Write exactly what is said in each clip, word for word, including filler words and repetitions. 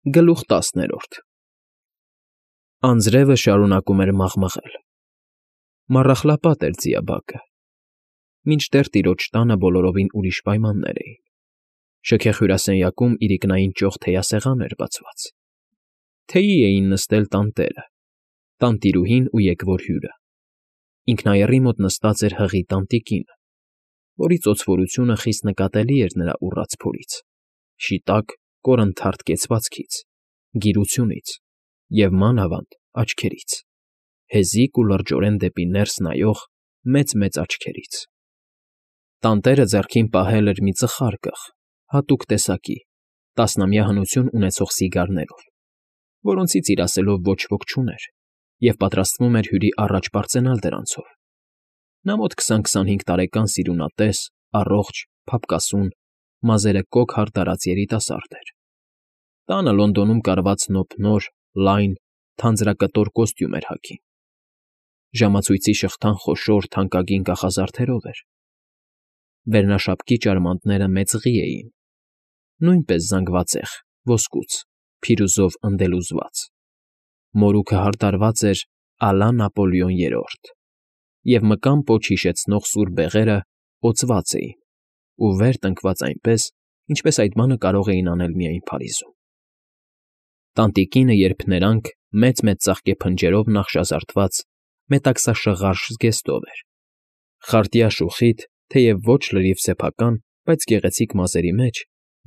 Գլուխ տասներորդ Անձրևը շարունակում էր մաղմղել, մառախլապատ էր ձիաբակը, մինչդեռ տիրոջ տանը բոլորովին ուրիշ պայմաններ էին. շքեղ հյուրասենյակում իրիկնային ճոխ թեյասեղան էր բացված, թեյի էին նստել տանտերը, տանտիրուհին ու եկվոր հյուրը, ինքնայեռի մոտ նստած էր հղի տանտիկինը, որի ծոծվորությունը խիստ նկատելի էր նրա ուռած փորից, շիտակ, կորնթարթ կեցվածքից, գիրությունից և, մանավանդ, աչքերից, հեզիկ ու լրջորեն դեպի ներս նայող մեծ֊մեծ աչքերից. տանտերը ձեռքին պահել էր մի ծխարկղ, հատուկ տեսակի, տասնամյա հնություն ունեցող սիգարներով, որոնցից իր ասելով ոչ ոք չուներ և պատրաստվում էր հյուրի առաջ պարծենալ դրանցով. նա մոտ քսան֊քսանհինգ տարեկան սիրունատես, առողջ, փափկասուն, մազերը կոկ հարդարած երիտասարդ էր. տանը Լոնդոնում կարված նոպնոր, լայն, թանձրակտոր կոստյում էր հագին. ժամացույցի շղթան խոշոր, թանկագին կախազարդերով էր. վերնաշապկի ճարմանտները մեծղի էին, նույնպես զանգվածեղ, ոսկուց, փիրուզով ընդելուզված, մորուքը հարդարված էր «Ալա Նապոլեոն երրորդ» և մկան պոչ հիշեցնող սուր բեղերը օծված էին ու վեր տնկված այնպես, ինչպես այդ բանը կարող էին անել միայն Փարիզում. տանտիկինը երփներանգ մեծ֊մեծ ծաղկե փնջերով նախշազարդված մետաքսաշղարշ զգեստով էր, խարտյա շուխիթ, թեև ոչ լրիվ սեփական, բայց գեղեցիկ մազերի մեջ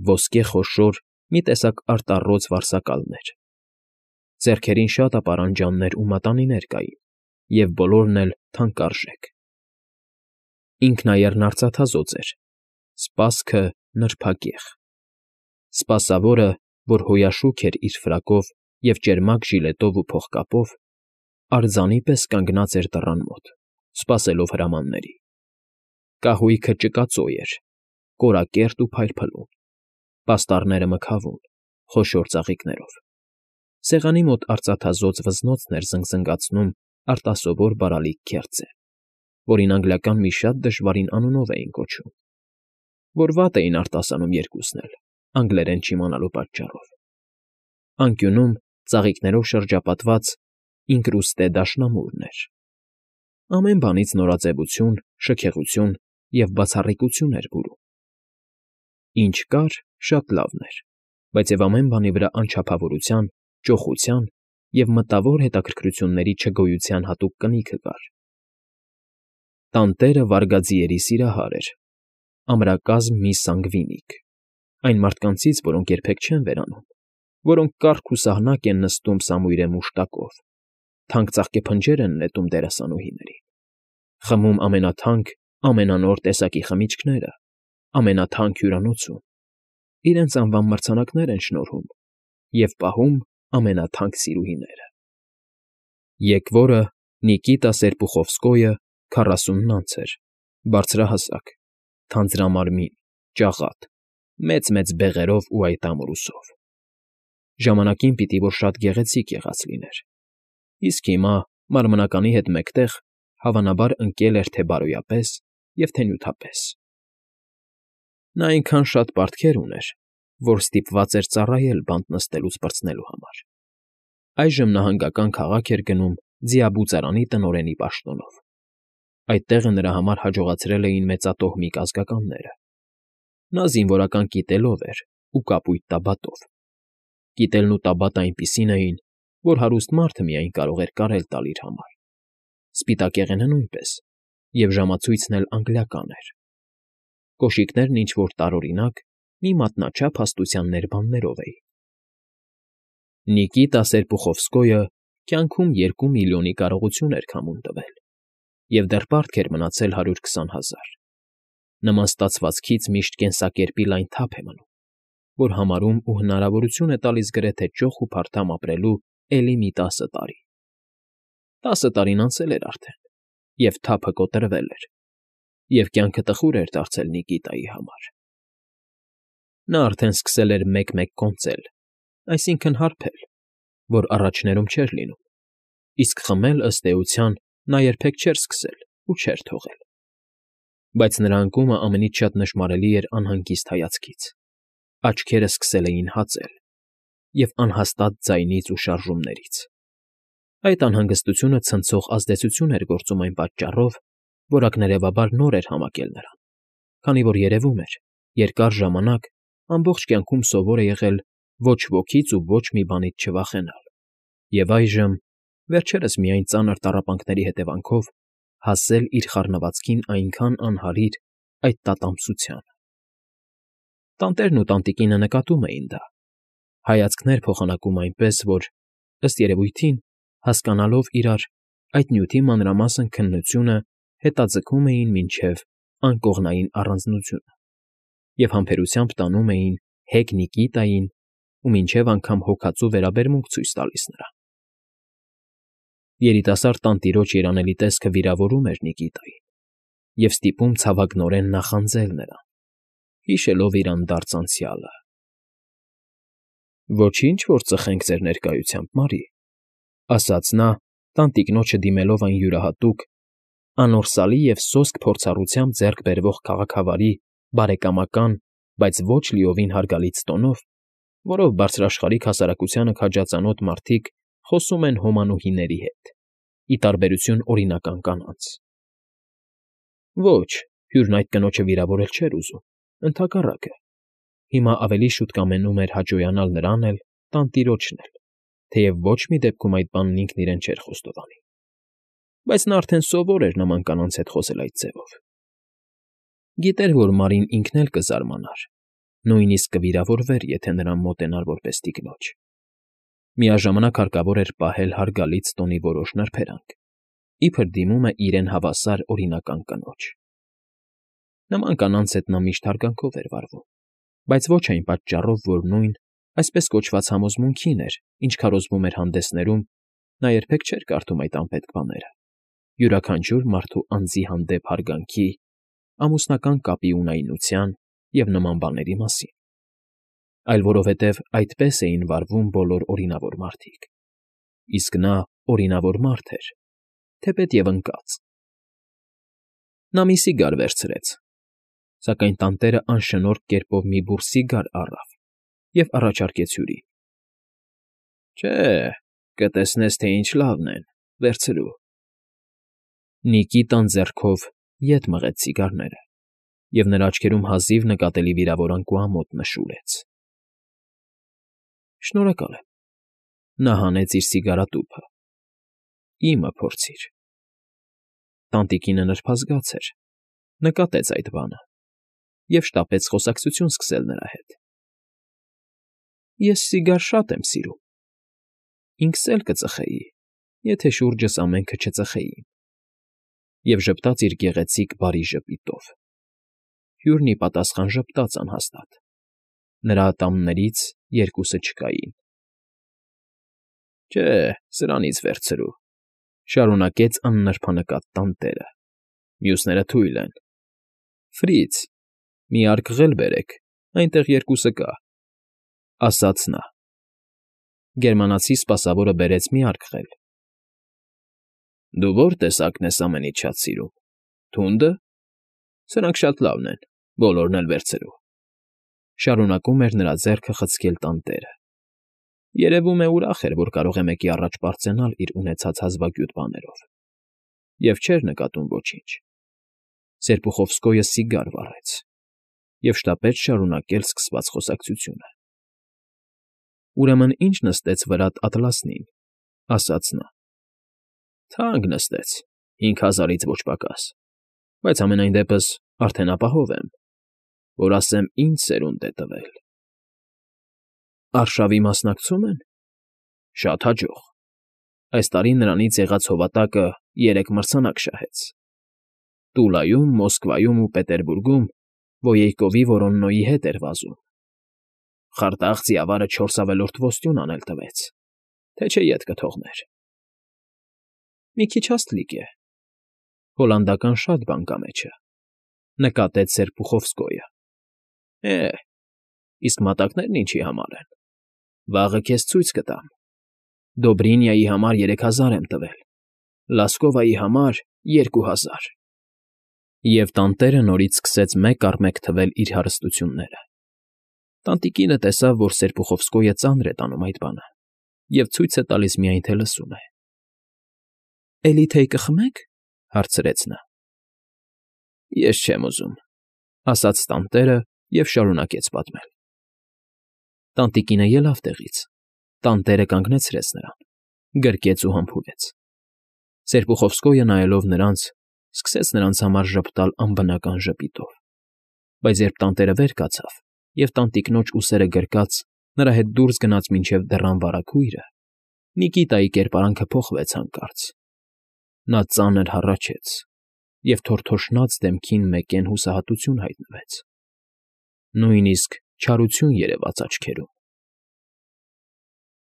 ոսկե խոշոր մի տեսակ արտառոց վարսակալներ, ձեռքերին շատ ապարանջաններ ու մատանիներ կային և բոլորն էլ թանկարժեք. ինքնայեռն արծաթազօծ էր, սպասքը նրբագեղ, սպասավորը, որ հոյաշուք էր իր ֆրակով և ճերմակ ժիլետով ու փողկապով, արձանի պես կանգնած էր դռան մոտ, սպասելով հրամանների. կահույքը ճկածոյ էր, կորակերտ ու փայլփլուն, պաստառները մգավուն, խոշոր ծաղիկներով, սեղանի մոտ արծաթազօծ վզնոցն էր զնգզնգացնում արտասովոր բարալիկ քերծը, որին անգլիական մի շատ դժվարին անունով էին կոչում, որ վատ էին արտասանում երկուսն էլ, անգլերեն չիմանալու պատճառով. անկյունում ծաղիկներով շրջապատված ինկրուստե դաշնամուրն էր. ամեն բանից նորաձևություն, շքեղություն և բացառիկություն էր բուրում. ինչ կար, շատ լավն էր, բայց և ամեն բանի վրա անչափավորության, ճոխության և մտավոր հետաքրքրությունների չգոյության հատուկ կնիքը կար. տանտերը վարգաձիերի սիրահար էր, ամրակազմ մի սանգվինիկ, այն մարդկանցից, որոնք երբեք չեն վերանում, որոնք կառք ու սահնակ են նստում սամույրե մուշտակով, թանկ ծաղկեփնջեր են նետում դերասանուհիներին, խմում ամենաթանկ, ամենանոր տեսակի խմիչքները, ամենաթանկ հյուրանոցում, իրենց անվան մրցանակներ են շնորհում և պահում ամենաթանկ սիրուհիները. եկվորը Նիկիտա Սերպուխովսկոյը քառասունն անց էր, բարձրահասակ, թանձրամարմին, ճաղատ, մեծ֊մեծ բեղերով ու այդ ամրուսով. ժամանակին պիտի որ շատ գեղեցիկ եղած լիներ, իսկ հիմա, մարմնականի հետ մեկտեղ, հավանաբար ընկել էր թե բարոյապես և թե նյութապես. նա այնքան շատ պարտքեր ուներ, որ ստիպված էր ծառայել բանտ նստելուց պրծնելու համար. այժմ նահանգական քաղաք էր գնում ձիաբուծարանի տնօրենի պաշտոնով. այդ տեղը նրա համար հաջողացրել էին մեծատոհմիկ ազգականները. նա զինվորական կիտելով էր ու կապույտ տաբատով. կիտելն ու տաբատը այնպիսին էին, որ հարուստ մարդը միայն կարող էր կարել տալ իր համար, սպիտակեղենը նույնպես, և ժամացույցն էլ անգլիական էր. կոշիկներն ինչ֊որ տարօրինակ, մի մատնաչափ հաստության ներբաններով էին. Նիկիտա Սերպուխովսկոյը կյանքում երկու միլիոնի կարողություն էր քամուն տվել և դեռ պարտք էր մնացել հարյուր քսան հազար. նման ստացվածքից միշտ կենսակերպի լայն թափ է մնում, որ համարում ու հնարավորություն է տալիս գրեթե ճոխ ու փարթամ ապրելու էլի մի տասը տարի. տասը տարին անցել էր արդեն, և թափը կոտրվել էր, և կյանքը տխուր էր դարձել Նիկիտայի համար. նա արդեն սկսել էր մեկ֊մեկ կոնծել, այսինքն՝ հարբել, որ առաջներում չէր լինում, իսկ խմել, ըստ էության, նա երբեք չէր սկսել ու չէր թողել. բայց նրա անկումը ամենից շատ նշմարելի էր անհանգիստ հայացքից. աչքերը սկսել էին հածել, և անհաստատ ձայնից ու շարժումներից։ Այդ անհանգստությունը ցնցող ազդեցություն էր գործում այն պատճառով, որ ակներևաբար նոր էր համակել նրան, քանի որ երևում էր, երկար ժամանակ ամբողջ կյանքում սովոր է եղել ոչ ոքից ու ոչ մի բանից չվախենալ, և այժմ, վերջերս միայն ծանր տառապանքների հետևանքով, հասել իր խառնվածքին այնքան անհարիր այդ տատանբսությանը։ Տանտերն ու տանտիկինը նկատում էին դա, հայացքներ փոխանակում այնպես, որ, ըստ երևույթին, հասկանալով իրար, այդ նյութի մանրամասն քննությունը հետաձգում էին մինչև անկողնային առանձնությունը և համբերությամբ տանում էին հեգ Նիկիտային ու մինչև անգամ հոգածու վերաբերմունք ցույց տալիս նրան։ Երիտասարդ տանտիրոջ երանելի տեսքը վիրավորում էր Նիկիտային և ստիպում ցավագնորեն նախանձել նրան, հիշելով իր անդարձ անցյալը։ ֊ Ոչինչ, որ ծխենք ձեր ներկայությամբ, Մարի,֊ ասաց նա, տանտիկնոջը դիմելով այն յուրահատուկ, անորսալի և սոսկ փորձառությամբ ձեռք բերվող քաղաքավարի, բարեկամական, բայց ոչ լիովին հարգալից տոնով, որով բարձրաշխարհիկ հասարակությանը քաջածանոթ մարդիկ խոսում են հոմանուհիների հետ, ի տարբերություն օրինական կանանց։ Ոչ, հյուրն այդ կնոջը վիրավորել չէր ուզում, ընդհակառակը, հիմա ավելի շուտ կամենում էր հաճոյանալ նրան էլ, տանտիրոջն էլ, թեև ոչ մի դեպքում այդ բանն ինքն իրեն չէր խոստովանի, բայց նա արդեն սովոր էր նման կանանց հետ խոսել այդ ձևով։ Գիտեր, որ Մարին ինքն էլ կզարմանար, նույնիսկ կվիրավորվեր, եթե նրան մոտենար որպես տիկնոջ։ Միաժամանակ հարկավոր էր պահել հարգալից տոնի որոշ նրբերանգ, իբր դիմում է իրեն հավասար օրինական կնոջ։ Նման կանանց հետ նա միշտ հարգանքով էր վարվում, բայց ոչ այն պատճառով, որ նույն, այսպես կոչված համոզմունքին էր, ինչ քարոզվում էր հանդեսներում, նա երբեք չէր կարդում այդ անպետք բաները, յուրաքանչյուր մարդու անձի հանդեպ հարգանքի, ամուսնական կապի ունայնության և նման բաների մասին, այլ որովհետև այդպես էին վարվում բոլոր օրինավոր մարդիկ, իսկ նա օրինավոր մարդ էր, թեպետ և ընկած։ Նա մի սիգար վերցրեց, սակայն տանտերը անշնորհք կերպով մի բուռ սիգար առավ և առաջարկեց հյուրին։ ֊ Չէ, կտեսնես, թե ինչ լավն են, վերցրու։ Նիկիտան ձեռքով ետ մղեց սիգարները, և նրա աչքերում հազիվ նկատելի վիրավորանք ու ամոթ նշուրեց։ ֊ Շնորհակալ եմ,֊ նա հանեց իր սիգարատուփը,֊ իմը փորձիր։ Տանտիկինը նրբազգաց էր, նկատեց այդ բանը և շտապեց խոսակցություն սկսել նրա հետ։ ֊ Ես սիգար շատ եմ սիրում, ինքս էլ կծխեի, եթե շուրջս ամենքը չծխեին, և ժպտաց իր գեղեցիկ բարի ժպիտով։ Հյուրն ի պատասխան ժպտաց անհաստատ, նրա ատամներից երկուսը չկային։ ֊ Չէ, սրանից վերցրու,֊ շարունակեց աննրբանկատ տանտերը,֊ մյուսները թույլ են։ Ֆրից, մի արկղ էլ բերեք, այնտեղ երկուսը կա,֊ ասաց նա։ Գերմանացի սպասավորը բերեց մի արկղ էլ։ ֊ Դու ո՞ր տեսակն ես ամենից շատ սիրում, թունդը։ Սրանք շատ լավն են, բոլորն էլ վերցրու,֊ շարունակում էր նրա ձեռքը խցկել տանտերը. երևում է ուրախ էր, որ կարող է մեկի առաջ պարծենալ իր ունեցած հազվագյուտ բաներով, և չէր նկատում ոչինչ։ Սերպուխովսկոյը սիգար վառեց և շտապեց շարունակել սկսված խոսակցությունը։ ֊ Ուրեմն ի՞նչ նստեց վրադ ատլասնին,֊ ասաց նա։ ֊ Թանկ նստեց, հինգ հազարից ոչ պակաս, բայց համենայն դեպս արդեն ապահով եմ, որ ասեմ ինչ սերունդ է տվել։ ֊ Արշավի մասնակցո՞ւմ են։ ֊ Շատ հաջող. այս տարի նրանից եղած հովատակը երեք մրցանակ շահեց. Տուլայում, Մոսկվայում ու Պետերբուրգում Վոեյկովի Վորոննոյի հետ էր վազում. խարտախ ձիավարը չորս ավելորդ ոսկյուն անել տվեց, թե չէ ետ կթողներ։ ֊ Մի քիչ հաստլիկ է, հոլանդական շատ բան կա մեջը,֊ նկատեց Սերպուխովսկոյը։ ֊ Է, իսկ մատակներն ինչի համար են։ Վաղը քեզ ցույց կտամ. Դոբրինյայի համար երեք հազար եմ տվել, Լասկովայի համար՝ երկու հազար… Եվ տանտերը նորից սկսեց մեկ առ մեկ թվել իր հարստությունները։ Տանտիկինը տեսավ, որ Սերպուխովսկոյը ծանր է տանում այդ բանը և ցույց է տալիս միայն, թե լսում է։ ֊ Էլի թեյ կխմե՞ք,֊ հարցրեց նա։ ֊ Ես չեմ ուզում,֊ ասաց տանտերը և շարունակեց պատմել։ Տանտիկինը ելավ տեղից, տանտերը կանգնեցրեց նրան, գրկեց ու համբուրեց։ Սերպուխովսկոյը, նայելով նրանց, սկսեց նրանց համար ժպտալ անբնական ժպիտով, բայց երբ տանտերը վեր կացավ և տանտիկնոջ ուսերը գրկած նրա հետ դուրս գնաց մինչև դռան վարագույրը, Նիկիտայի կերպարանքը փոխվեց հանկարծ. նա ծանր հառաչեց, և թորթոշնած դեմքին մեկեն հուսահատություն հայտնվեց, նույնիսկ չարություն երևաց աչքերում։